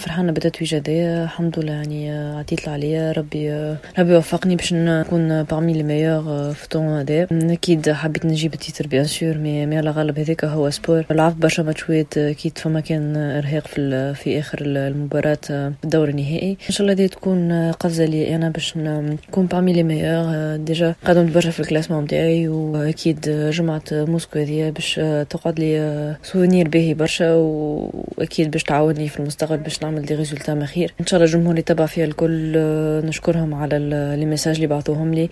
فرحانة بالتتويج هذايا، الحمد لله. يعني عطيت اللي عليا، ربي ربي وفقني باش نكون parmi les meilleurs في ال tournoi هذا. اكيد حبيت نجيب ال titre bien sûr، mais على غالب هذاك هو sport. لعبت برشا ماتشوات، اكيد فما كان ارهاق في اخر المباراة في الدور النهائي. ان شاء الله هذه تكون قفزه لي انا باش نكون parmi les meilleurs. déjà قدمت برشا في ال classement نتاعي، واكيد جمعة موسكو هذه باش تقعد لي souvenir باهي برشا، واكيد باش تعاوني في المستقبل باش نعمل des résultats ما خير ان شاء الله. الجمهور اللي تبع فيها الكل نشكرهم على les messages اللي بعثوهم لي.